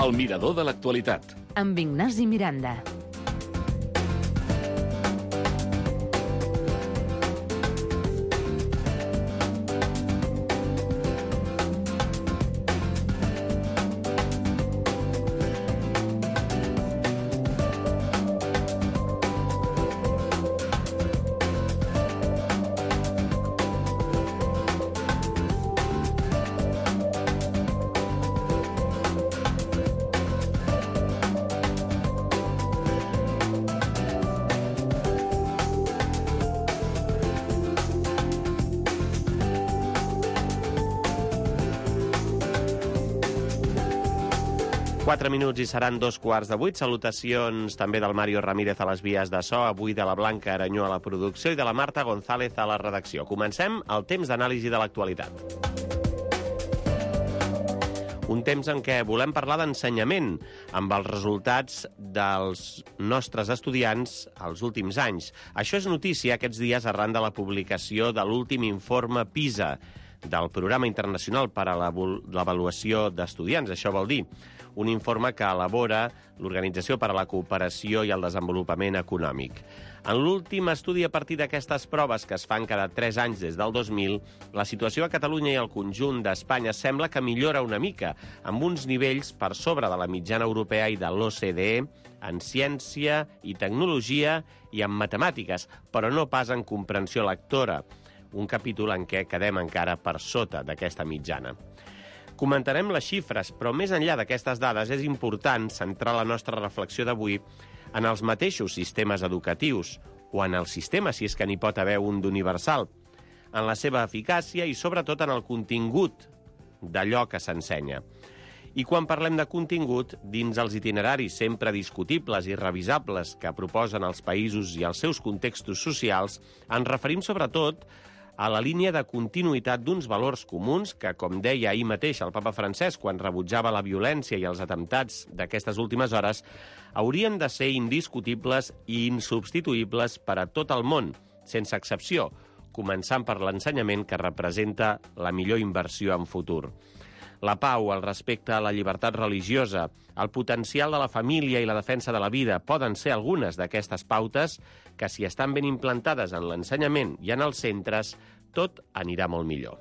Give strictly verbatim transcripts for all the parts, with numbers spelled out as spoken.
El mirador de l'actualitat. Amb Ignasi Miranda. Quatre minuts i seran dos quarts de vuit. Salutacions també del Mario Ramírez a les vies de so, avui de la Blanca Aranyó a la producció i de la Marta González a la redacció. Comencem el temps d'anàlisi de l'actualitat. Un temps en què volem parlar d'ensenyament, amb els resultats dels nostres estudiants als últims anys. Això és notícia aquests dies arran de la publicació de l'últim informe PISA, del Programa Internacional per a l'Avaluació d'Estudiants. Això vol dir un informe que elabora l'Organització per a la Cooperació i el Desenvolupament Econòmic. En l'últim estudi a partir d'aquestes proves, que es fan cada tres anys des del dos mil, la situació a Catalunya i al conjunt d'Espanya sembla que millora una mica, amb uns nivells per sobre de la mitjana europea i de l'O C D E en ciència i tecnologia i en matemàtiques, però no pas en comprensió lectora, un capítol en què quedem encara per sota d'aquesta mitjana. Comentarem les xifres, però més enllà d'aquestes dades és important centrar la nostra reflexió d'avui en els mateixos sistemes educatius, o en el sistema, si és que n'hi pot haver un d'universal, en la seva eficàcia i sobretot en el contingut d'allò que s'ensenya. I quan parlem de contingut, dins els itineraris sempre discutibles i revisables que proposen els països i els seus contextos socials, ens referim sobretot a la línia de continuïtat d'uns valors comuns que, com deia ahir mateix el papa Francesc quan rebutjava la violència i els atemptats d'aquestes últimes hores, haurien de ser indiscutibles i insubstituïbles per a tot el món, sense excepció, començant per l'ensenyament que representa la millor inversió en futur. La pau, el respecte a la llibertat religiosa, el potencial de la família i la defensa de la vida poden ser algunes d'aquestes pautes que, si estan ben implantades en l'ensenyament i en els centres, tot anirà molt millor.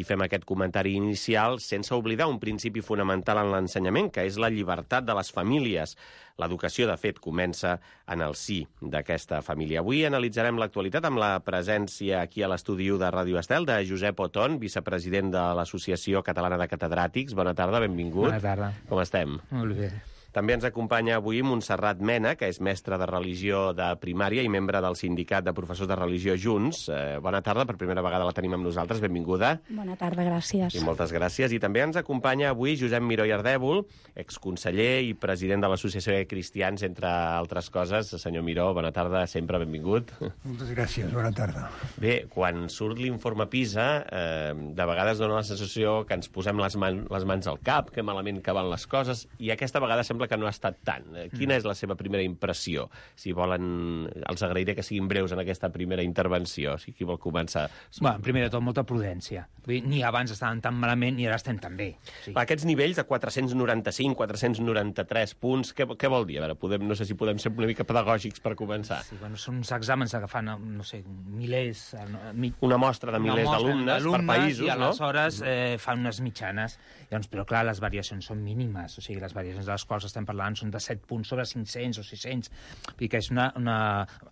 I fem aquest comentari inicial sense oblidar un principi fonamental en l'ensenyament, que és la llibertat de les famílies. L'educació, de fet, comença en el si d'aquesta família. Avui analitzarem l'actualitat amb la presència aquí a l'estudi u de Ràdio Estel de Josep Oton, vicepresident de l'Associació Catalana de Catedràtics. Bona tarda, benvingut. Bona tarda. Com estem? Molt bé. També ens acompanya avui Montserrat Mena, que és mestra de religió de primària i membre del sindicat de professors de religió Junts. Eh, bona tarda, per primera vegada la tenim amb nosaltres, benvinguda. Bona tarda, gràcies. I moltes gràcies. I també ens acompanya avui Josep Miró i Ardèvol, exconseller i president de l'Associació de Cristians, entre altres coses. Senyor Miró, bona tarda, sempre benvingut. Moltes gràcies, bona tarda. Bé, quan surt l'informe PISA, eh, de vegades dona la sensació que ens posem les, man les mans al cap, que malament que van les coses, i aquesta vegada sembla que no ha estat tant. Quina és la seva primera impressió? Si volen, els agrairé que siguin breus en aquesta primera intervenció. Si qui vol començar. Bueno, primer de tot, molta prudència. Vull dir, ni abans estaven tan malament ni ara estem tan bé. Sí. Aquests nivells de quatre-cents noranta-cinc, quatre-cents noranta-tres punts, què, què vol dir? A veure, podem, no sé si podem ser una mica pedagògics per començar. Sí, bueno, són uns exàmens que fan, no sé, milers... Mi... Una mostra de milers d'alumnes per països, i no? aleshores eh, fan unes mitjanes. Llavors, però clar, les variacions són mínimes, o sigui, les variacions de les quals estem parlant són de set punts sobre cinc-cents o sis-cents. Vull dir que és una, una...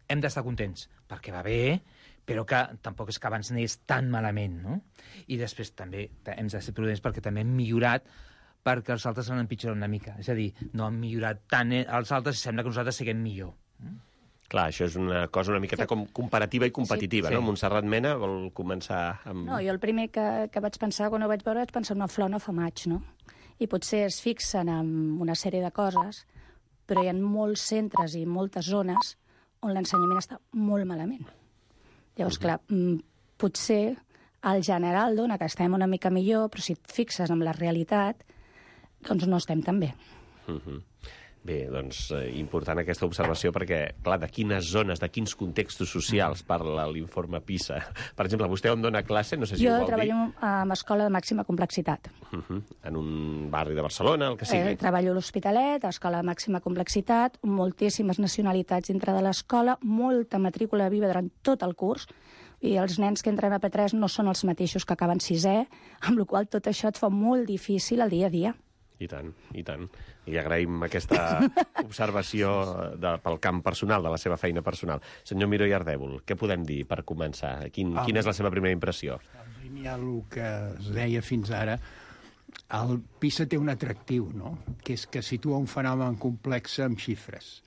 Hem d'estar contents, perquè va bé, però que tampoc és que abans anés tan malament, no? I després també hem de ser prudents perquè també hem millorat perquè els altres han empitjorat una mica. És a dir, no han millorat tant els altres i sembla que nosaltres siguem millor. Clar, això és una cosa una miqueta com comparativa i competitiva, sí, no? Sí. Montserrat Mena vol començar amb... No, jo el primer que, que vaig pensar quan ho vaig veure vaig pensar una flor no fa maig, no? I potser es fixen en una sèrie de coses, però hi ha molts centres i moltes zones on l'ensenyament està molt malament. Llavors, uh-huh. clar, potser al general dona que estem una mica millor, però si et fixes en la realitat, doncs no estem tan bé. Uh-huh. Bé, doncs, eh, important aquesta observació perquè, clar, de quines zones, de quins contextos socials parla l'informe PISA? Per exemple, vostè on dona classe? No sé si jo ho vol treballo dir. en escola de màxima complexitat. Uh -huh. En un barri de Barcelona, el que sigui. Eh, treballo a l'Hospitalet, a escola de màxima complexitat, moltíssimes nacionalitats dintre de l'escola, molta matrícula viva durant tot el curs, i els nens que entren a P tres no són els mateixos que acaben sisè, amb la qual cosa tot això et fa molt difícil el dia a dia. I tant, i tant. I agraïm aquesta observació de, pel camp personal, de la seva feina personal. Senyor Miró i Ardèvol, què podem dir per començar? Quin, ah, quina és la seva primera impressió? En línia el que es deia fins ara, el PISA té un atractiu, no? Que és que situa un fenomen complex amb xifres.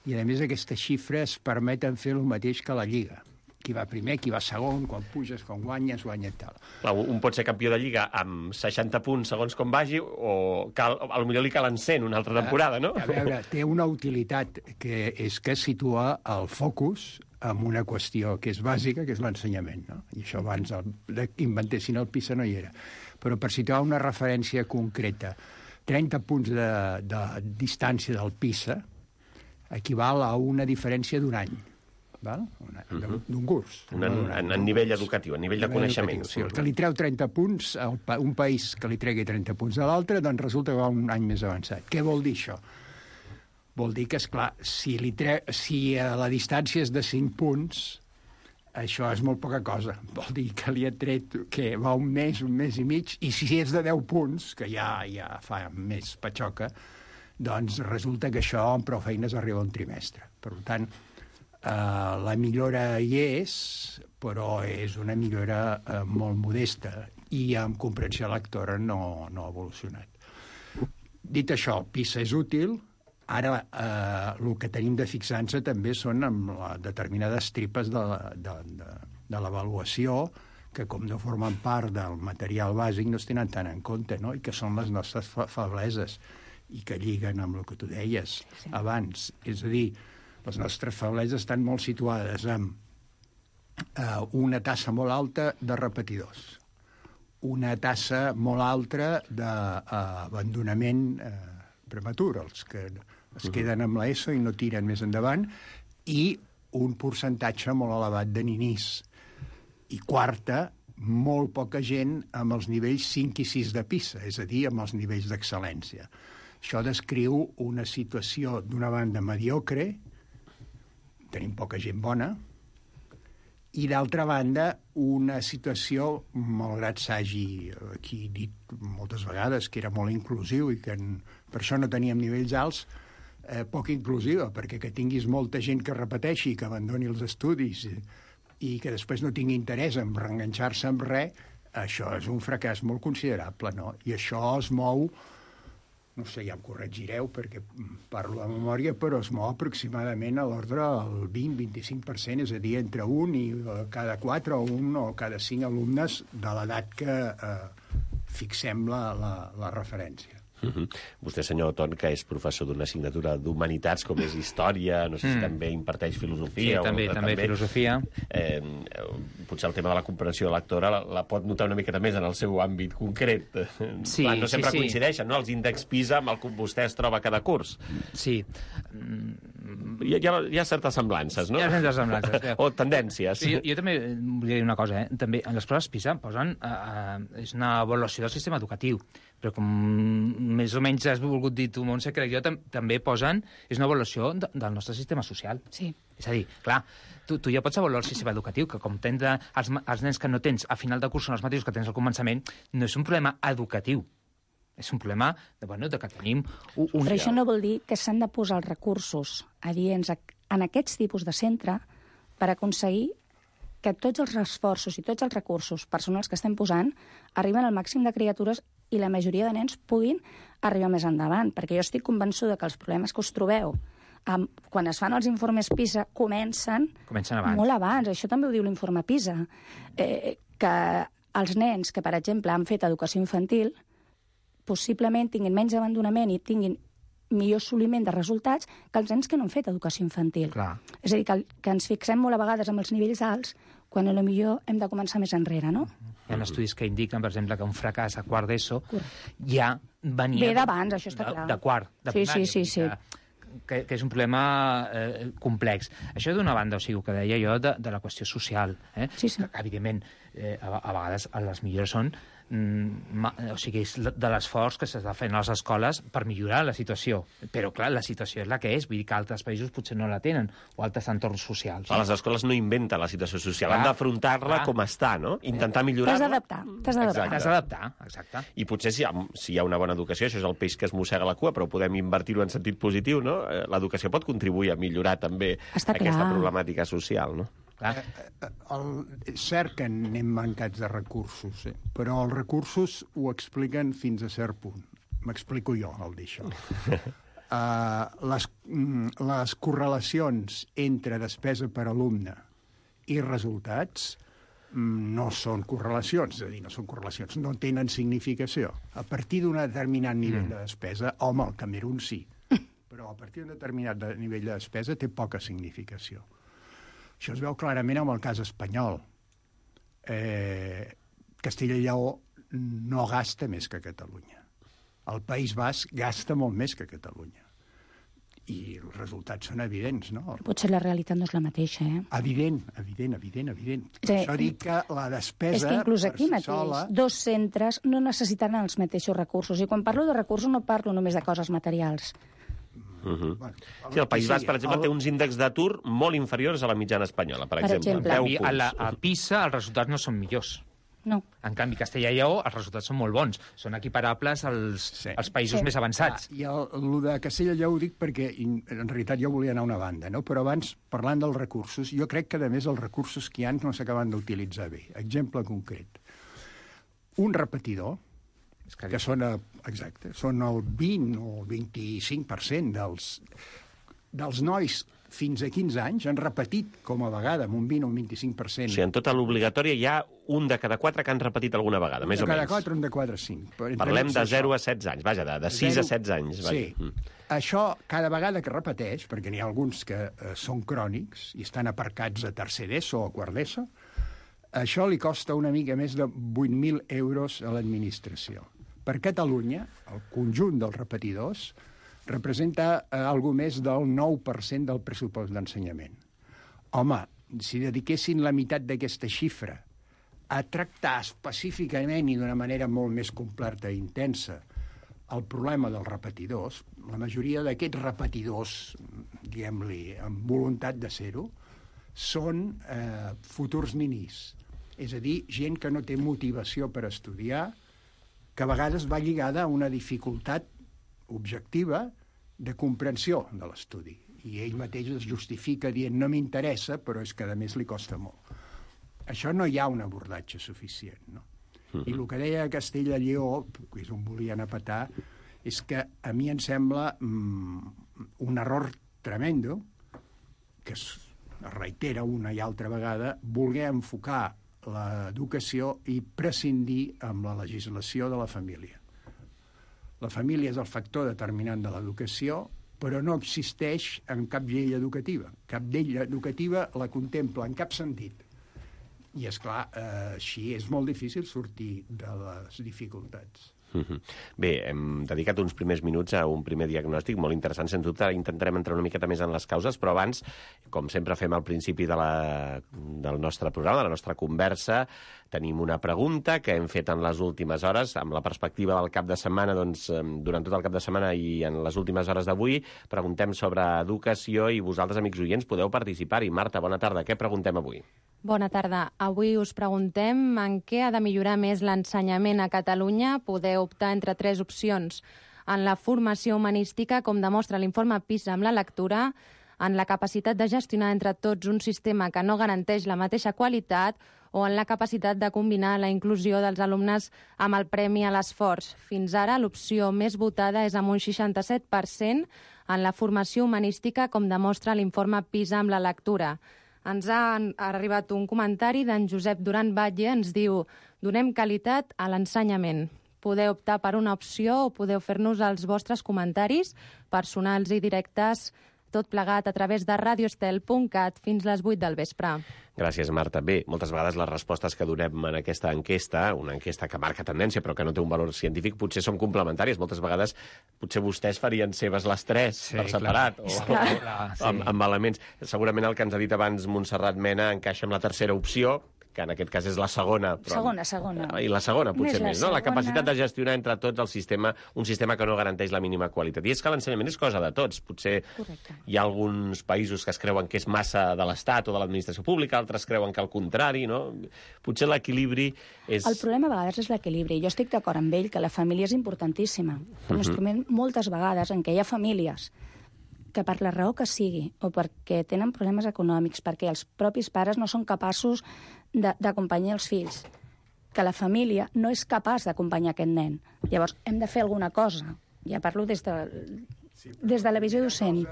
I, a més, aquestes xifres permeten fer el mateix que la Lliga. Qui va primer, qui va segon, quan puges, quan guanyes, guanya tal. Clar, un pot ser campió de Lliga amb seixanta punts segons com vagi, o cal, potser li calen cent una altra temporada, no? A veure, té una utilitat, que és que situa el focus en una qüestió que és bàsica, que és l'ensenyament, no? I això abans el, inventessin el PISA no hi era. Però per situar una referència concreta, trenta punts de, de distància del PISA equival a una diferència d'un any. D'un curs. Un, en, en, en nivell educatiu, en nivell de coneixement. O sigui, el que li treu trenta punts, el, un país que li tregui trenta punts a l'altre, doncs resulta que va un any més avançat. Què vol dir això? Vol dir que, esclar, si, li tre... si la distància és de cinc punts, això és molt poca cosa. Vol dir que li ha tret que va un mes, un mes i mig, i si és de deu punts, que ja, ja fa més patxoca, doncs resulta que això amb prou feines arriba a un trimestre. Per tant, Uh, la millora hi és, però és una millora uh, molt modesta i amb comprensió lectora no, no ha evolucionat. Dit això, el PISA és útil. Ara uh, el que tenim de fixar-nos també són amb la, determinades tripes de, de, de, de l'avaluació que, com no formen part del material bàsic, no es tenen tant en compte, no? I que són les nostres febleses i que lliguen amb el que tu deies sí. abans. És a dir, les nostres febleses estan molt situades amb eh, una tassa molt alta de repetidors, una tassa molt alta d'abandonament eh, prematur, els que es queden amb l'ESO i no tiren més endavant, i un percentatge molt elevat de ninís. I quarta, molt poca gent amb els nivells cinc i sis de PISA, és a dir, amb els nivells d'excel·lència. Això descriu una situació, d'una banda, mediocre, tenim poca gent bona, i d'altra banda, una situació, malgrat s'hagi aquí dit moltes vegades que era molt inclusiu i que en, per això no teníem nivells alts, eh, poc inclusiva, perquè que tinguis molta gent que repeteixi, que abandoni els estudis i, i que després no tingui interès en reenganxar-se amb res, això és un fracàs molt considerable, no? I això es mou, no sé, ja em corregireu perquè parlo de memòria, però es mou aproximadament a l'ordre del vint a vint-i-cinc per cent, és a dir, entre un i cada quatre o un o cada cinc alumnes de l'edat que eh, fixem la, la, la referència. Uh-huh. Vostè, senyor Ton, que és professor d'una assignatura d'humanitats, com és història, no sé si mm. també imparteix filosofia. Sí, també, o, també, també filosofia. Eh, potser el tema de la comprensió lectora la, la pot notar una miqueta més en el seu àmbit concret. Sí, Clar, no sempre sí, sí. coincideixen, no?, els índexs PISA amb el que vostè es troba cada curs. Sí. Hi ha, hi ha, hi ha certes semblances, no? Hi ha certes semblances. O tendències. Sí, jo, jo també volia dir una cosa, eh? També en les proves PISA posen... Eh, eh, és una avaluació del sistema educatiu, però com més o menys has volgut dir tu, Montse, crec jo, tam també posen... És una avaluació de, del nostre sistema social. Sí. És a dir, clar, tu, tu ja pots avaluar el sistema educatiu, que com tens de, els, els nens que no tens a final de curs són els mateixos que tens al començament, no és un problema educatiu. És un problema de, bueno, de que tenim... Un... Però això no vol dir que s'han de posar els recursos adients en aquests tipus de centre per aconseguir que tots els esforços i tots els recursos personals que estem posant arriben al màxim de criatures i la majoria de nens puguin arribar més endavant. Perquè jo estic convençuda que els problemes que us trobeu um, quan es fan els informes PISA comencen, comencen abans. molt abans. Això també ho diu l'informe PISA. Eh, que els nens que, per exemple, han fet educació infantil possiblement tinguin menys abandonament i tinguin millor assoliment de resultats que els nens que no han fet educació infantil. Clar. És a dir, que, que ens fixem molt a vegades amb els nivells alts quan a lo millor hem de començar més enrere, no? Hi ha estudis que indiquen, per exemple, que un fracàs a quart d'ESO ja venia... Ve d'abans, això està de, clar. De quart, de sí, primària. Sí, sí, sí. Que, que, que és un problema eh, complex. Això d'una banda, o sigui, el que deia jo de, de la qüestió social, eh? Sí, sí. Que, evidentment, eh, a, a vegades les millores són mm, ma, o sigui, és de l'esforç que s'està fent a les escoles per millorar la situació. Però, clar, la situació és la que és, vull dir que altres països potser no la tenen, o altres entorns socials. A les escoles no inventen la situació social, Clar, han d'afrontar-la com està, no? Intentar millorar-la. T'has d'adaptar, t'has d'adaptar. T'has d'adaptar, exacte. I potser si hi, ha, si hi ha una bona educació, això és el peix que es mossega la cua, però podem invertir-ho en sentit positiu, no? L'educació pot contribuir a millorar també Està aquesta clar. problemàtica social, no? Clar. El, és cert que anem mancats de recursos, eh? Però els recursos ho expliquen fins a cert punt. M'explico jo, el d'això. Uh, les, mm, les correlacions entre despesa per alumne i resultats mm, no són correlacions, és a dir, no són correlacions, no tenen significació. A partir d'un determinat nivell mm. de despesa, home, el Camerún sí, però a partir d'un determinat de nivell de despesa té poca significació. Això es veu clarament amb el cas espanyol. Eh, Castella i Lleó no gasta més que Catalunya. El País Basc gasta molt més que Catalunya. I els resultats són evidents, no? Potser la realitat no és la mateixa, eh? Evident, evident, evident, evident. Per Sí. això dic que la despesa És que inclús per aquí si mateix, sola... dos centres no necessitaran els mateixos recursos. I quan parlo de recursos no parlo només de coses materials. Uh-huh. Bueno, Sí, el País que Basc, sigui, per exemple, el- té uns índexs d'atur molt inferiors a la mitjana espanyola, per, Per exemple. deu I a, punts. la, a PISA els resultats no són millors. No. En canvi, Castella i Lleó, els resultats són molt bons. Són equiparables als, Sí. als països Sí. més avançats. Ah, I el, el de Castella i Lleó ho dic perquè in- en realitat jo volia anar a una banda, no? Però abans, parlant dels recursos, jo crec que, a més, els recursos que hi ha no s'acaben d'utilitzar bé. Exemple concret. Un repetidor, És que són, a, exacte, són el vint o el vint-i-cinc per cent dels, dels nois fins a quinze anys han repetit com a vegada, amb un vint o un vint-i-cinc per cent. O sigui, en tota l'obligatòria hi ha un de cada quatre que han repetit alguna vegada, més de o cada menys. quatre, un de quatre, cinc. Però entre Parlem mig de això. zero a setze anys, vaja, de, de sis a setze anys. Vaja. Sí. Mm. Això, cada vegada que repeteix, perquè n'hi ha alguns que eh, són crònics i estan aparcats a tercer d'ESO o a quart d'ESO, això li costa una mica més de vuit mil euros a l'administració. Per Catalunya, el conjunt dels repetidors representa eh, algo més del nou per cent del pressupost d'ensenyament. Home, si dediquessin la meitat d'aquesta xifra a tractar específicament i d'una manera molt més completa i intensa el problema dels repetidors, la majoria d'aquests repetidors, diguem-li, amb voluntat de ser-ho, són eh, futurs ninis. És a dir, gent que no té motivació per estudiar, que a vegades va lligada a una dificultat objectiva de comprensió de l'estudi. I ell mateix es justifica dient no m'interessa, però és que a més li costa molt. Això no hi ha un abordatge suficient, no? I el que deia Castella i Lleó, que és on volien a petar, és que a mi em sembla mm, un error tremendo, que es reitera una i altra vegada, voler enfocar l'educació i prescindir amb la legislació de la família. La família és el factor determinant de l'educació, però no existeix en cap llei educativa. Cap llei educativa la contempla en cap sentit. I, és clar, eh, així és molt difícil sortir de les dificultats. Mhm. Bé, hem dedicat uns primers minuts a un primer diagnòstic molt interessant. Sens dubte intentarem entrar una miqueta més en les causes, però abans, com sempre fem al principi de la, del nostre programa, de la nostra conversa, tenim una pregunta que hem fet en les últimes hores, amb la perspectiva del cap de setmana, doncs, durant tot el cap de setmana i en les últimes hores d'avui, preguntem sobre educació i vosaltres, amics oients, podeu participar-hi. Marta, bona tarda. Què preguntem avui? Bona tarda. Avui us preguntem en què ha de millorar més l'ensenyament a Catalunya. Podeu optar entre tres opcions. En la formació humanística, com demostra l'informe PISA amb la lectura, en la capacitat de gestionar entre tots un sistema que no garanteix la mateixa qualitat o en la capacitat de combinar la inclusió dels alumnes amb el premi a l'esforç. Fins ara, l'opció més votada és amb un seixanta-set per cent en la formació humanística, com demostra l'informe PISA amb la lectura. Ens ha arribat un comentari d'en Josep Duran Batlle, ens diu: donem qualitat a l'ensenyament. Podeu optar per una opció o podeu fer-nos els vostres comentaris personals i directes tot plegat a través de radiostel punt cat fins les vuit del vespre. Gràcies, Marta. Bé, moltes vegades les respostes que donem en aquesta enquesta, una enquesta que marca tendència però que no té un valor científic, potser són complementàries. Moltes vegades potser vostès farien seves les tres Sí, per separat clar. o, Clar, o, clar, o sí. amb, amb elements. Segurament el que ens ha dit abans Montserrat Mena encaixa amb la tercera opció, que en aquest cas és la segona. Però... Segona, segona. I la segona, potser Més la més, no? La segona. capacitat de gestionar entre tots el sistema, un sistema que no garanteix la mínima qualitat. I és que l'ensenyament és cosa de tots. Potser Correcte. hi ha alguns països que es creuen que és massa de l'Estat o de l'administració pública, altres creuen que al contrari, no? Potser l'equilibri és... El problema a vegades és l'equilibri. Jo estic d'acord amb ell que la família és importantíssima. Un instrument moltes vegades en què hi ha famílies que per la raó que sigui, o perquè tenen problemes econòmics, perquè els propis pares no són capaços d'acompanyar els fills, que la família no és capaç d'acompanyar aquest nen. Llavors, hem de fer alguna cosa. Ja parlo des de, des de la visió docent.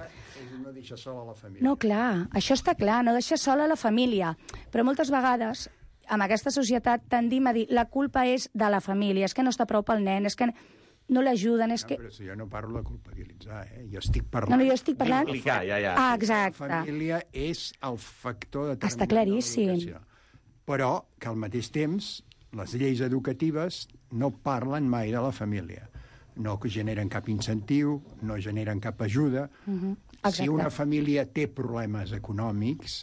No deixar sola la família. No, clar, això està clar, no deixar sola la família. Però moltes vegades, amb aquesta societat, tendim a dir la culpa és de la família, és que no està prou pel nen, és que no l'ajuden, és No, que... però si jo no parlo de culpabilitzar, eh? Jo estic parlant... No, no, jo estic parlant... Implicar, ja, ja. Ah, La exacte. família és el factor determinant Està claríssim. de l'educació. Però que al mateix temps les lleis educatives no parlen mai de la família. No generen cap incentiu, no generen cap ajuda. Mhm, Si una família té problemes econòmics,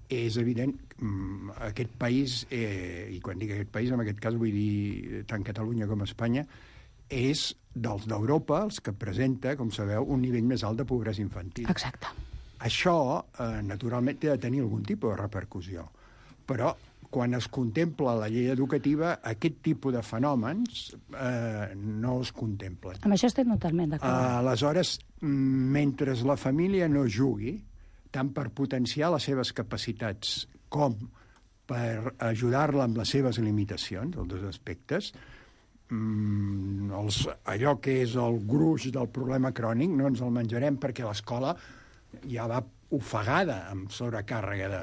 és evident que aquest país, eh, i quan dic aquest país, en aquest cas vull dir tant Catalunya com Espanya, és dels d'Europa els que presenta, com sabeu, un nivell més alt de pobresa infantil. Exacte. Això, eh, naturalment, té de tenir algun tipus de repercussió. Però, quan es contempla la llei educativa, aquest tipus de fenòmens eh, no es contemplen. Amb això estic totalment Uh, d'acord. aleshores, mentre la família no jugui, tant per potenciar les seves capacitats com per ajudar-la amb les seves limitacions, els dos aspectes, mm, els, allò que és el gruix del problema crònic no ens el menjarem perquè l'escola ja va ofegada amb sobrecàrrega de...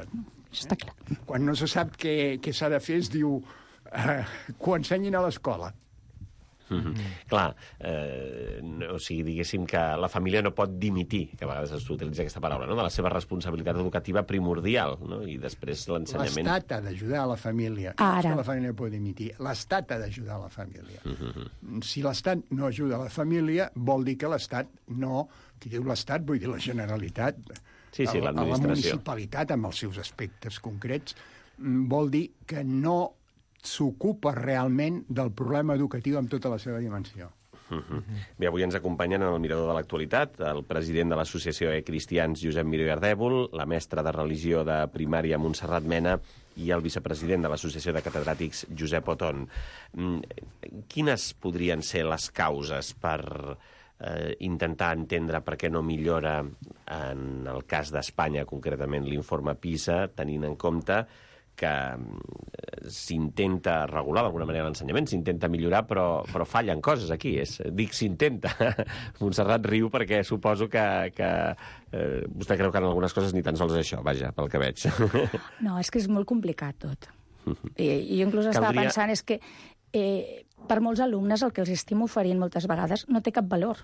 Això està clar. Quan no se sap què, què s'ha de fer es diu eh, que ho ensenyin a l'escola. Mm-hmm. Clar, eh, no, o sigui, diguéssim que la família no pot dimitir, que a vegades s'utilitza aquesta paraula, no? De la seva responsabilitat educativa primordial, no? I després l'ensenyament... L'Estat ha d'ajudar a la família. Ara. No és que la família pot dimitir. L'Estat ha d'ajudar a la família. Mm-hmm. Si l'Estat no ajuda a la família, vol dir que l'Estat no... Qui diu l'Estat, vull dir la Generalitat. Sí, sí, a, a la l'administració. municipalitat, amb els seus aspectes concrets, vol dir que no s'ocupa realment del problema educatiu amb tota la seva dimensió. Uh-huh. Bé, avui ens acompanyen en el Mirador de l'Actualitat el president de l'Associació de Cristians, Josep Miró i Ardèvol, la mestra de religió de primària, Montserrat Mena, i el vicepresident de l'Associació de Catedràtics, Josep Oton. Quines podrien ser les causes per eh, intentar entendre per què no millora, en el cas d'Espanya, concretament l'informe PISA, tenint en compte que s'intenta regular d'alguna manera l'ensenyament, s'intenta millorar, però, però fallen coses aquí. És, dic s'intenta. Montserrat riu perquè suposo que, que eh, vostè creu que en algunes coses ni tan sols és això, vaja, pel que veig. No, és que és molt complicat tot. I, i jo inclús estava Caldria... pensant és que eh, per molts alumnes el que els estem oferint moltes vegades no té cap valor.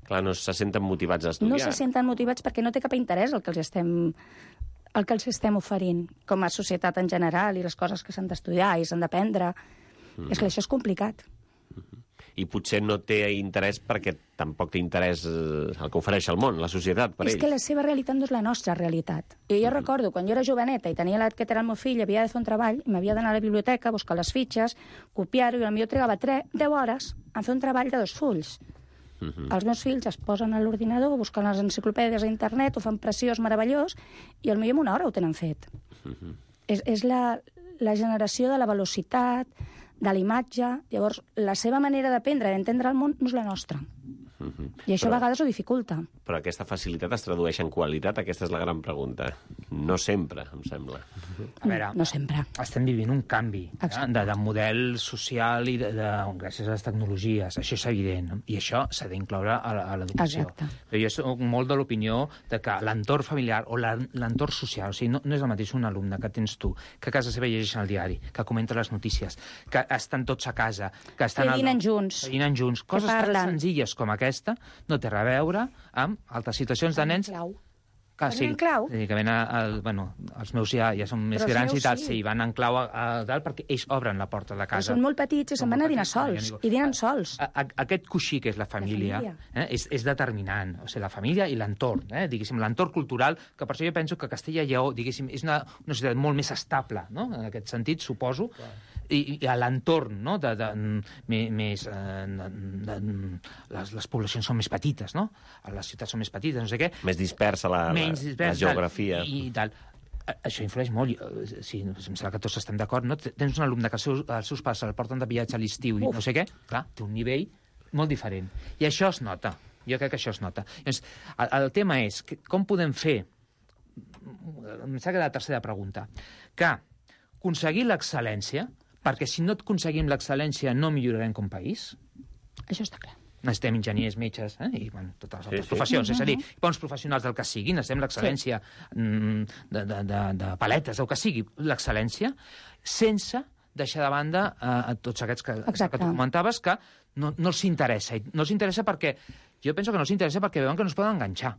Clar, no se senten motivats a estudiar. No se senten motivats perquè no té cap interès el que els estem el que els estem oferint com a societat en general i les coses que s'han d'estudiar i s'han d'aprendre. Mm. És que això és complicat. Mm-hmm. I potser no té interès perquè tampoc té interès el que ofereix el món, la societat, per és ells. És que la seva realitat no és la nostra realitat. I jo mm-hmm. recordo, quan jo era joveneta i tenia l'edat que era el meu fill, havia de fer un treball, i m'havia d'anar a la biblioteca, buscar les fitxes, copiar-ho, i potser trigava deu hores en fer un treball de dos fulls. Uh-huh. Els meus fills es posen a l'ordinador, busquen les enciclopèdies a internet, ho fan preciós, meravellós, i potser en una hora ho tenen fet. Uh-huh. És, és la, la generació de la velocitat, de la imatge. Llavors, la seva manera d'aprendre i d'entendre el món no és la nostra. Uh-huh. I això però, a vegades ho dificulta. Però aquesta facilitat es tradueix en qualitat? Aquesta és la gran pregunta. No sempre, em sembla. A veure, no sempre. Estem vivint un canvi eh, de, de model social i de, de, gràcies a les tecnologies. Això és evident. I això s'ha d'incloure a, a l'educació. Però jo soc molt de l'opinió de que l'entorn familiar o l'entorn social, o sigui, no, no és el mateix un alumne que tens tu, que a casa seva llegeixen el diari, que comenta les notícies, que estan tots a casa, que estan... Que dinen junts. Que dinen junts. Coses tan senzilles com aquestes aquesta no té res a veure amb altres situacions de nens... Clau. Que, Van sí, en clau? sí, que ven a, a, bueno, els meus ja, ja són més Però els grans meus i tal, sí. sí, van en clau a, a dalt perquè ells obren la porta de Però casa. són molt petits i se'n van a dinar sols. I dinen sols. A, a, aquest coixí que és la família, família. eh, és, és determinant. O sigui, la família i l'entorn, eh, diguéssim, l'entorn cultural, que per això jo penso que Castella i Lleó, diguéssim, és una, una societat molt més estable, no?, en aquest sentit, suposo, i, i a l'entorn, no?, de, de, de, més... Eh, de, de, les, les poblacions són més petites, no?, les ciutats són més petites, no sé què. Més dispersa la, Menys la, dispersa, la geografia. I, i tal. Això influeix molt. Sí, em sembla que tots estem d'acord, no? Tens un alumne que els seus, els seus pares el porten de viatge a l'estiu i no sé què, clar, té un nivell molt diferent. I això es nota. Jo crec que això es nota. Llavors, el, el tema és que, com podem fer, em sembla que la tercera pregunta, que aconseguir l'excel·lència, perquè si no aconseguim l'excel·lència no millorarem com a país. Això està clar. Necessitem enginyers, metges, eh? I bueno, totes les altres sí. professions, és a dir, bons professionals del que sigui, necessitem l'excel·lència mm, de, de, de, de paletes, del que sigui, l'excel·lència, sense deixar de banda eh, tots aquests que, que tu comentaves, que no, no els interessa. No els interessa perquè, jo penso que no els interessa perquè veuen que no es poden enganxar.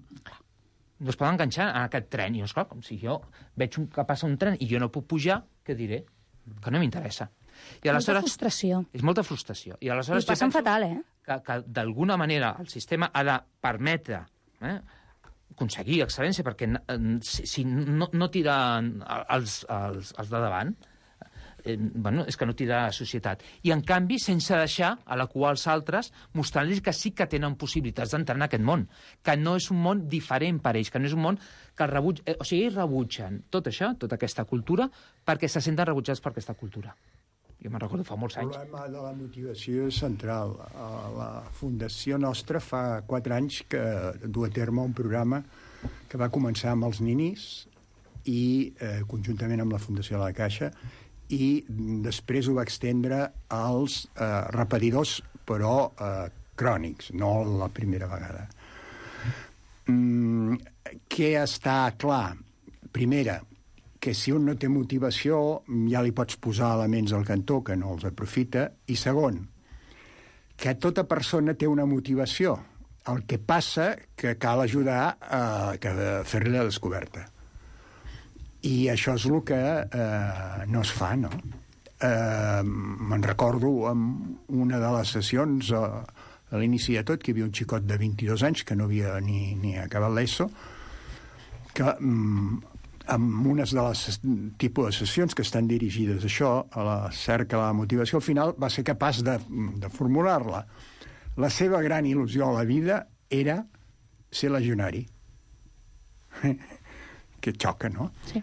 No es poden enganxar a aquest tren. I, esclar, com si jo veig un, que passa un tren i jo no puc pujar, què diré? Que no m'interessa. I molta frustració. És molta frustració. I aleshores I passen fatal, eh? Que, que d'alguna manera el sistema ha de permetre eh, aconseguir excel·lència, perquè eh, si, si no, no tiren els, els, els de davant, eh, bueno, és que no tira la societat. I, en canvi, sense deixar a la cua als altres, mostrant-los que sí que tenen possibilitats d'entrar en aquest món, que no és un món diferent per ells, que no és un món que el rebuig... Eh, o sigui, ells rebutgen tot això, tota aquesta cultura, perquè se senten rebutjats per aquesta cultura. Jo me'n recordo fa molts anys. El problema de la motivació és central. La fundació nostra fa quatre anys que du a terme un programa que va començar amb els ninis i eh, conjuntament amb la Fundació de la Caixa, i després ho va extendre als eh, repetidors, però eh, crònics, no la primera vegada. Mm, què està clar? Primera, que si un no té motivació ja li pots posar elements al cantó que no els aprofita, i segon, que tota persona té una motivació. El que passa que cal ajudar a, a fer-li la descoberta. I això és el que eh, no es fa, no? Eh, me'n recordo en una de les sessions a, a l'inici de tot que hi havia un xicot de vint-i-dos anys que no havia ni, ni acabat l'ESO, que mm, amb unes de les tipus de sessions que estan dirigides a això, a la cerca de la motivació, al final va ser capaç de, de formular-la. La seva gran il·lusió a la vida era ser legionari. Que xoca, no? Sí.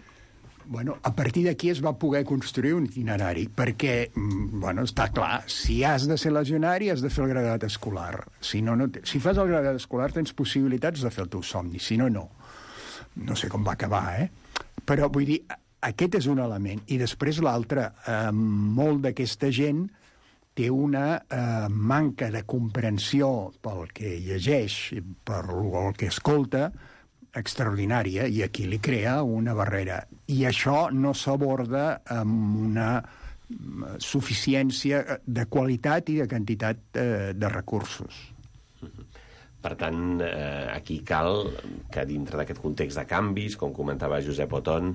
Bueno, a partir d'aquí es va poder construir un itinerari, perquè, bueno, està clar, si has de ser legionari has de fer el graduat escolar. Si, no, no te... si fas el graduat escolar tens possibilitats de fer el teu somni, si no, no. No sé com va acabar, eh? Però, vull dir, aquest és un element. I després l'altre, eh, molt d'aquesta gent té una eh, manca de comprensió pel que llegeix, per el que escolta, extraordinària, i aquí li crea una barrera. I això no s'aborda amb una suficiència de qualitat i de quantitat eh, de recursos. Per tant, eh, aquí cal que dintre d'aquest context de canvis, com comentava Josep Oton,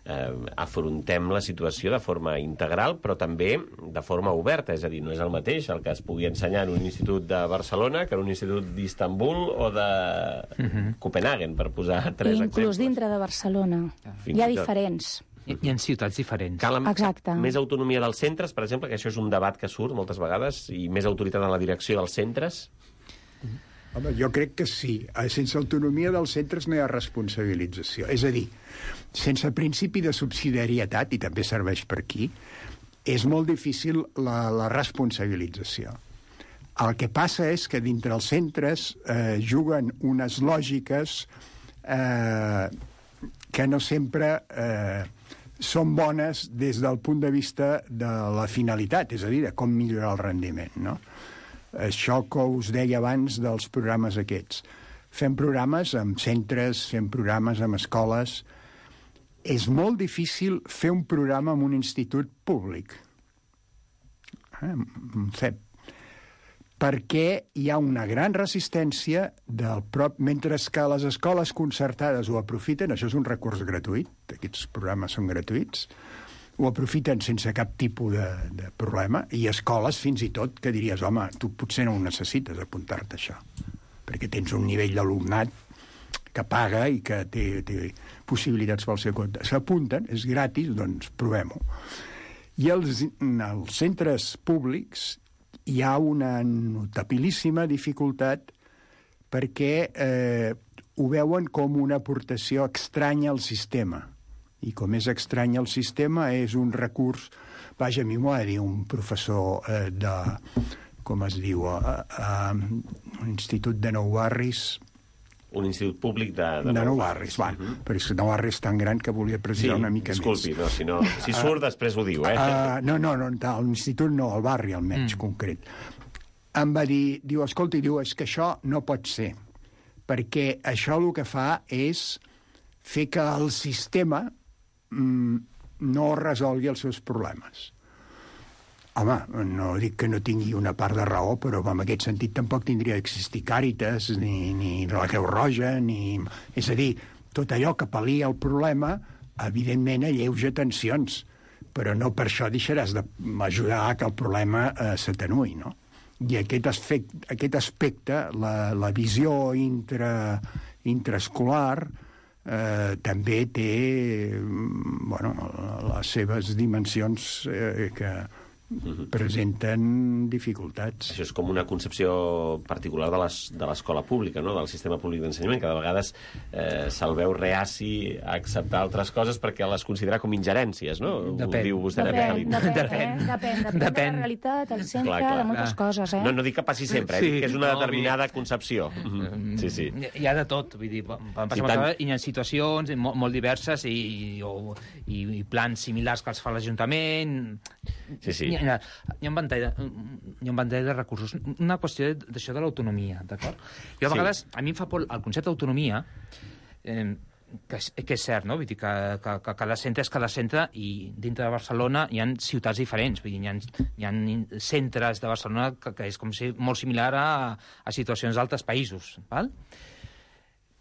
eh, afrontem la situació de forma integral, però també de forma oberta. És a dir, no és el mateix el que es pugui ensenyar en un institut de Barcelona que en un institut d'Istanbul o de uh-huh. Copenhagen, per posar tres I inclús exemples. dintre de Barcelona. Fins Hi ha i tot. diferents. Hi, hi ha ciutats diferents. Cal Exacte. més autonomia dels centres, per exemple, que això és un debat que surt moltes vegades, i més autoritat en la direcció dels centres? Home, jo crec que sí. Sense autonomia dels centres no hi ha responsabilització. És a dir, sense principi de subsidiarietat, i també serveix per aquí, és molt difícil la, la responsabilització. El que passa és que dintre els centres eh, juguen unes lògiques eh, que no sempre eh, són bones des del punt de vista de la finalitat, és a dir, de com millorar el rendiment, no? Això que us deia abans dels programes aquests. Fem programes amb centres, fem programes amb escoles. És molt difícil fer un programa en un institut públic. Eh? C E P. perquè hi ha una gran resistència del prop... Mentre que les escoles concertades ho aprofiten, això és un recurs gratuït, aquests programes són gratuïts, ho aprofiten sense cap tipus de, de problema, i escoles fins i tot que diries, home, tu potser no ho necessites apuntar-te això, perquè tens un nivell d'alumnat que paga i que té, té possibilitats pel seu compte. S'apunten, és gratis, doncs provem-ho. I els, els centres públics hi ha una notabilíssima dificultat perquè eh, ho veuen com una aportació estranya al sistema. I com és estrany al sistema, és un recurs... Vaja, a mi m'ho ha de dir un professor eh, de... com es diu? A, a, a l'Institut de Nou Barris... Un institut públic de... De, de Nou Barris, va. Uh -huh. Però és que Nou Barris és tan gran que volia precisar sí, una mica disculpi, més. No, si, no, si surt, uh, després ho diu, eh? Uh, no, no, no, l'institut no, el barri almenys, mm. concret. Em va dir, diu, escolta, diu, és que això no pot ser, perquè això el que fa és fer que el sistema mm, no resolgui els seus problemes. Home, no dic que no tingui una part de raó, però en aquest sentit tampoc tindria d'existir Càritas, ni, ni la Creu Roja, ni... És a dir, tot allò que pal·lia el problema, evidentment alleuja tensions, però no per això deixaràs d'ajudar que el problema eh, s'atenuï, no? I aquest aspecte, aquest aspecte la, la visió intra, intraescolar, eh, també té, bueno, les seves dimensions eh, que... Uh-huh. presenten dificultats. Això és com una concepció particular de l'escola pública, no? Del sistema públic d'ensenyament, que de vegades eh, se'l veu reaci a acceptar altres coses perquè les considera com ingerències, no? Depèn. Ho diu vostè Depèn, de depèn, Depèn. eh? depèn, depèn, depèn de la realitat, el centre, clar, clar. de moltes coses, eh? No, no dic que passi sempre, eh? Sí, Dic que és una no, determinada concepció. Mm, sí, sí. Hi ha de tot, vull dir, van passar moltes vegades, i hi ha situacions molt, molt diverses i, o, i, i plans similars que els fa l'Ajuntament. Sí, sí. Hi ha, hi ha un ventall de, hi ha un ventall de recursos. Una qüestió d'això de l'autonomia, d'acord? Jo a vegades, sí. a mi em fa por el concepte d'autonomia, eh, que, és, que és cert, no? Vull dir que, que, que cada centre és cada centre i dintre de Barcelona hi ha ciutats diferents. Vull dir, hi ha, hi ha centres de Barcelona que, que és com si, molt similar a, a situacions d'altres països, val?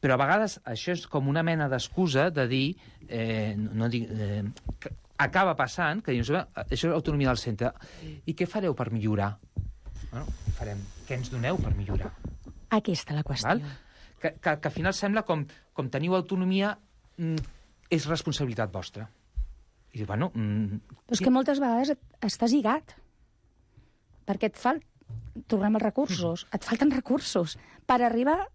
Però a vegades això és com una mena d'excusa de dir, eh, no, no dic, eh, que acaba passant que dius, això és l'autonomia del centre. I què fareu per millorar? Bueno, farem. Què ens doneu per millorar? Aquí està la qüestió. Val? Que, que, que al final sembla com, com teniu autonomia mm, és responsabilitat vostra. I dius, bueno... Mm, Però és que moltes vegades estàs lligat. Perquè et fal... Tornem als recursos. Et falten recursos per arribar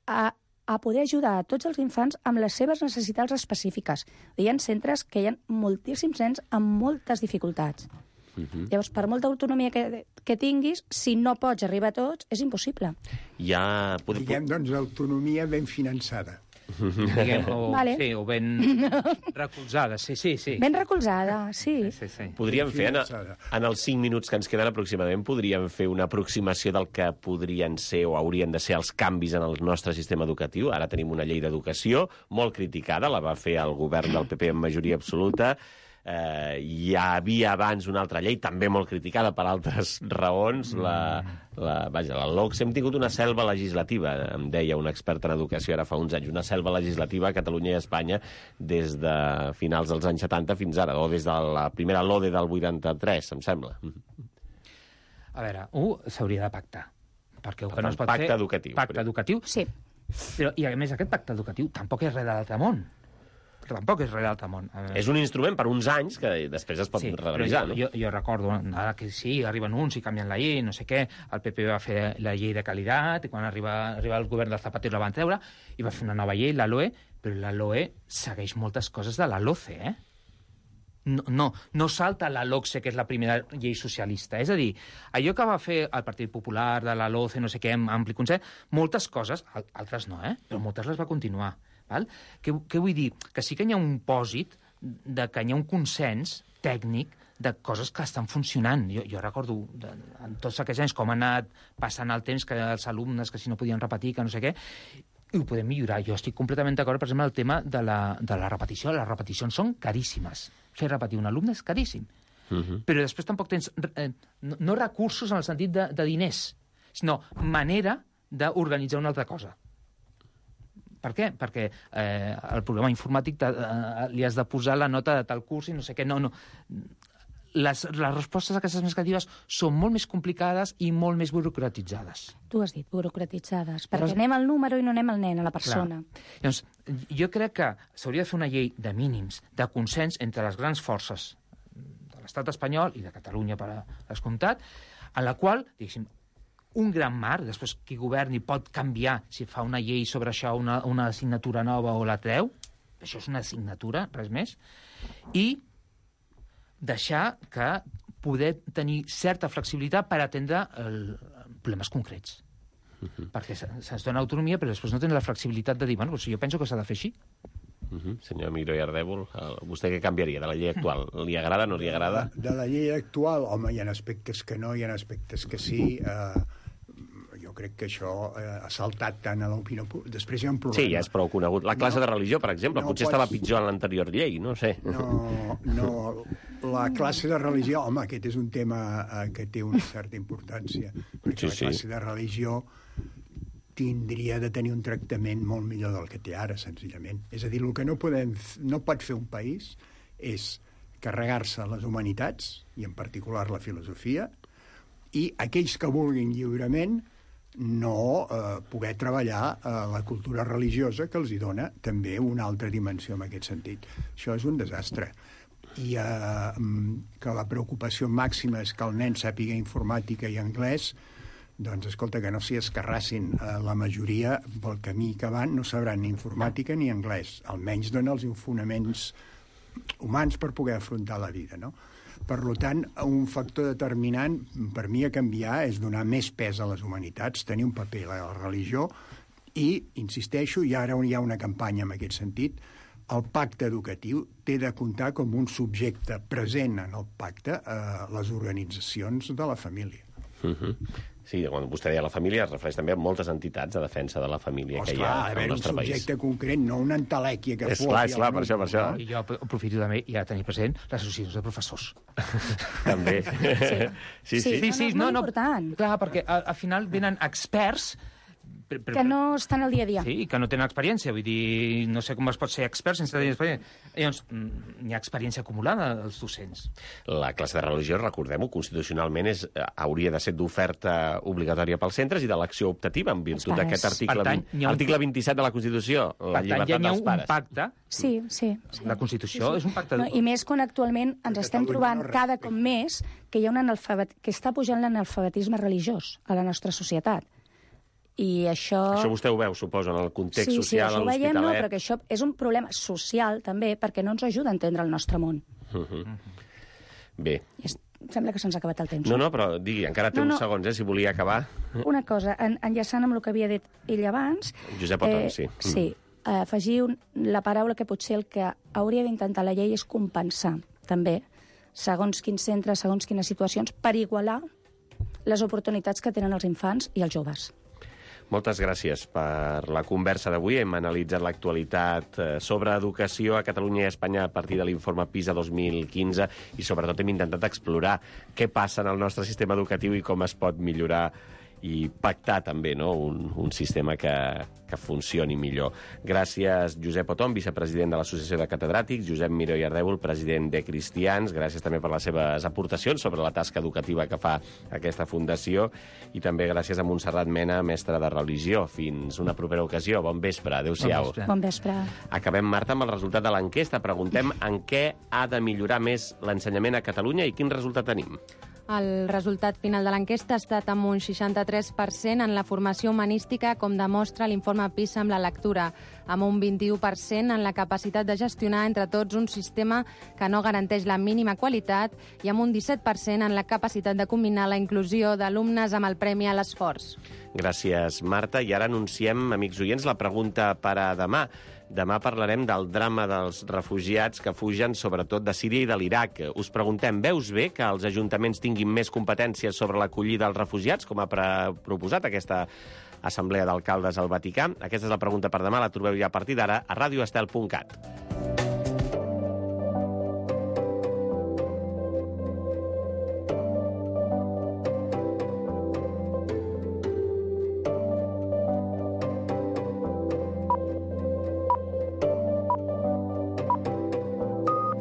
a... a poder ajudar a tots els infants amb les seves necessitats específiques. Hi ha centres que hi ha moltíssims nens amb moltes dificultats. Uh-huh. Llavors, per molta autonomia que, que tinguis, si no pots arribar a tots, és impossible. Ja... Diguem, doncs, autonomia ben finançada. Diguem, o, vale. sí, o ben recolzada, sí, sí, sí. Ben recolzada, sí. sí, sí, sí. Podríem fer, en, en els cinc minuts que ens queden aproximadament, podríem fer una aproximació del que podrien ser o haurien de ser els canvis en el nostre sistema educatiu. Ara tenim una llei d'educació molt criticada, la va fer el govern del P P en majoria absoluta. Eh, hi havia abans una altra llei, també molt criticada per altres raons, la, la, vaja, la LOCSE. Hem tingut una selva legislativa, em deia un expert en educació ara fa uns anys, una selva legislativa a Catalunya i a Espanya des de finals dels anys setanta fins ara, o des de la primera LODE del vuitanta-tres, em sembla. A veure, un, s'hauria de pactar. Perquè el que no es pot pacte fer... educatiu. Pacte educatiu. Sí. Però, i a més, aquest pacte educatiu tampoc és res de l'altre món. Tampoc és res de l'altre món. És un instrument per uns anys que després es pot sí, revisar, jo, no? Jo, jo recordo, ara que sí, arriben uns i canvien la llei, no sé què, el P P va fer la llei de qualitat, i quan arriba, arriba el govern del Zapatero la van treure, i va fer una nova llei, la LOE, però la LOE segueix moltes coses de la LOCE, eh? No, no, no salta la LOCSE, que és la primera llei socialista. És a dir, allò que va fer el Partit Popular, de la LOCE, no sé què, amb ampli consens, moltes coses, altres no, eh? Però moltes les va continuar. Val? Què, què vull dir? Que sí que hi ha un pòsit de que hi ha un consens tècnic de coses que estan funcionant. Jo, jo recordo de, en tots aquests anys com ha anat passant el temps, que els alumnes que si no podien repetir, que no sé què, i ho podem millorar. Jo estic completament d'acord, per exemple, el tema de la, de la repetició. Les repeticions són caríssimes. Fer repetir un alumne és caríssim. Uh-huh. Però després tampoc tens eh, no, no recursos en el sentit de, de diners. sinó manera d'organitzar una altra cosa. Per què? Perquè eh, el programa informàtic eh, li has de posar la nota de tal curs i no sé què. No, no. Les, les respostes a aquestes més creatives són molt més complicades i molt més burocratitzades. Tu has dit burocratitzades, perquè Però... anem al número i no anem al nen, a la persona. Clar. Llavors, jo crec que s'hauria de fer una llei de mínims, de consens entre les grans forces de l'estat espanyol i de Catalunya, per descomptat, en la qual, diguéssim, un gran marc, després qui governi pot canviar si fa una llei sobre això, una, una assignatura nova o la treu, això és una assignatura, res més, i deixar que poder tenir certa flexibilitat per atendre el, problemes concrets. Uh-huh. Perquè se'ns dona autonomia, però després no tenen la flexibilitat de dir, bueno, doncs jo penso que s'ha de fer així. Uh-huh. Senyor Miró i Ardèvol, vostè què canviaria de la llei actual? Li agrada, no li agrada? De, de la llei actual, home, hi ha aspectes que no, hi ha aspectes que sí. Eh, jo crec que això eh, ha saltat tant a l'opinió pública. Després hi ha un problema. Sí, ja és prou conegut. La classe no, de religió, per exemple, no potser pots... estava pitjor en l'anterior llei, no sé. No, no, la classe de religió, home, aquest és un tema eh, que té una certa importància, perquè sí, la classe sí. de religió tindria de tenir un tractament molt millor del que té ara, senzillament. És a dir, el que no, podem, no pot fer un país és carregar-se les humanitats, i en particular la filosofia, i aquells que vulguin lliurement no eh, poder treballar eh, la cultura religiosa que els hi dona també una altra dimensió en aquest sentit. Això és un desastre. I eh, que la preocupació màxima és que el nen sàpiga informàtica i anglès, doncs, escolta, que no s'hi escarrassin. Eh, la majoria, pel camí que van, no sabran ni informàtica ni anglès. Almenys dona els fonaments humans per poder afrontar la vida, no? Per tant, un factor determinant per mi a canviar és donar més pes a les humanitats, tenir un paper a la religió i, insisteixo, i ara hi ha una campanya en aquest sentit, el pacte educatiu té de comptar com un subjecte present en el pacte a les organitzacions de la família. Uh-huh. Sí, quan vostè deia la família es refereix també a moltes entitats de defensa de la família Ostres, que hi ha clar, al nostre país. Un subjecte concret, no una entelèquia que és clar, és clar, per això, per això. I jo aprofito també ja tenir present les associacions de professors. També. Sí, sí, sí. sí, sí no, no, no, important. Clar, perquè al final venen experts Per, per, que no estan al dia a dia. Sí, que no tenen experiència. Vull dir, no sé com es pot ser expert sense tenir experiència. Llavors, hi ha experiència acumulada als docents. La classe de religió, recordem-ho, constitucionalment és, hauria de ser d'oferta obligatòria pels centres i d'elecció optativa en virtut d'aquest article, tant, un... article vint-i-set de la Constitució, la llibertat ja dels pares. Un pacte. Sí, sí. sí. La Constitució sí, sí. és un pacte... No, I més quan actualment ens estem trobant no cada cop més que hi ha un analfabet... que està pujant l'analfabetisme religiós a la nostra societat. I això... Això vostè ho veu, suposo, en el context sí, social, sí, a l'Hospitalet. Sí, no, però que això és un problema social, també, perquè no ens ajuda a entendre el nostre món. Uh -huh. Bé. És, sembla que se'ns ha acabat el temps. No, no, però digui, encara té no, uns no. segons, eh, si volia acabar. Una cosa, en, enllaçant amb el que havia dit ell abans... Josep Otón, eh, sí. Sí, eh, afegir un, la paraula que potser el que hauria d'intentar la llei és compensar, també, segons quins centres, segons quines situacions, per igualar les oportunitats que tenen els infants i els joves. Moltes gràcies per la conversa d'avui. Hem analitzat l'actualitat sobre educació a Catalunya i a Espanya a partir de l'informe PISA dos mil quinze i sobretot hem intentat explorar què passa en el nostre sistema educatiu i com es pot millorar i pactar també, no?, un, un sistema que, que funcioni millor. Gràcies, Josep Otón, vicepresident de l'Associació de Catedràtics, Josep Miró i Ardèvol, president de Cristians. Gràcies també per les seves aportacions sobre la tasca educativa que fa aquesta fundació i també gràcies a Montserrat Mena, mestra de religió. Fins una propera ocasió. Bon vespre. Adéu-siau. Bon vespre. Bon vespre. Acabem, Marta, amb el resultat de l'enquesta. Preguntem en què ha de millorar més l'ensenyament a Catalunya i quin resultat tenim. El resultat final de l'enquesta ha estat amb un seixanta-tres per cent en la formació humanística, com demostra l'informe PISA amb la lectura, amb un vint-i-u per cent en la capacitat de gestionar entre tots un sistema que no garanteix la mínima qualitat i amb un disset per cent en la capacitat de combinar la inclusió d'alumnes amb el premi a l'esforç. Gràcies, Marta. I ara anunciem, amics oients, la pregunta per a demà. Demà parlarem del drama dels refugiats que fugen sobretot de Síria i de l'Iraq. Us preguntem, veus bé que els ajuntaments tinguin més competències sobre l'acollida dels refugiats, com ha proposat aquesta Assemblea d'Alcaldes al Vaticà? Aquesta és la pregunta per demà, la trobeu ja a partir d'ara a radio estel punt cat.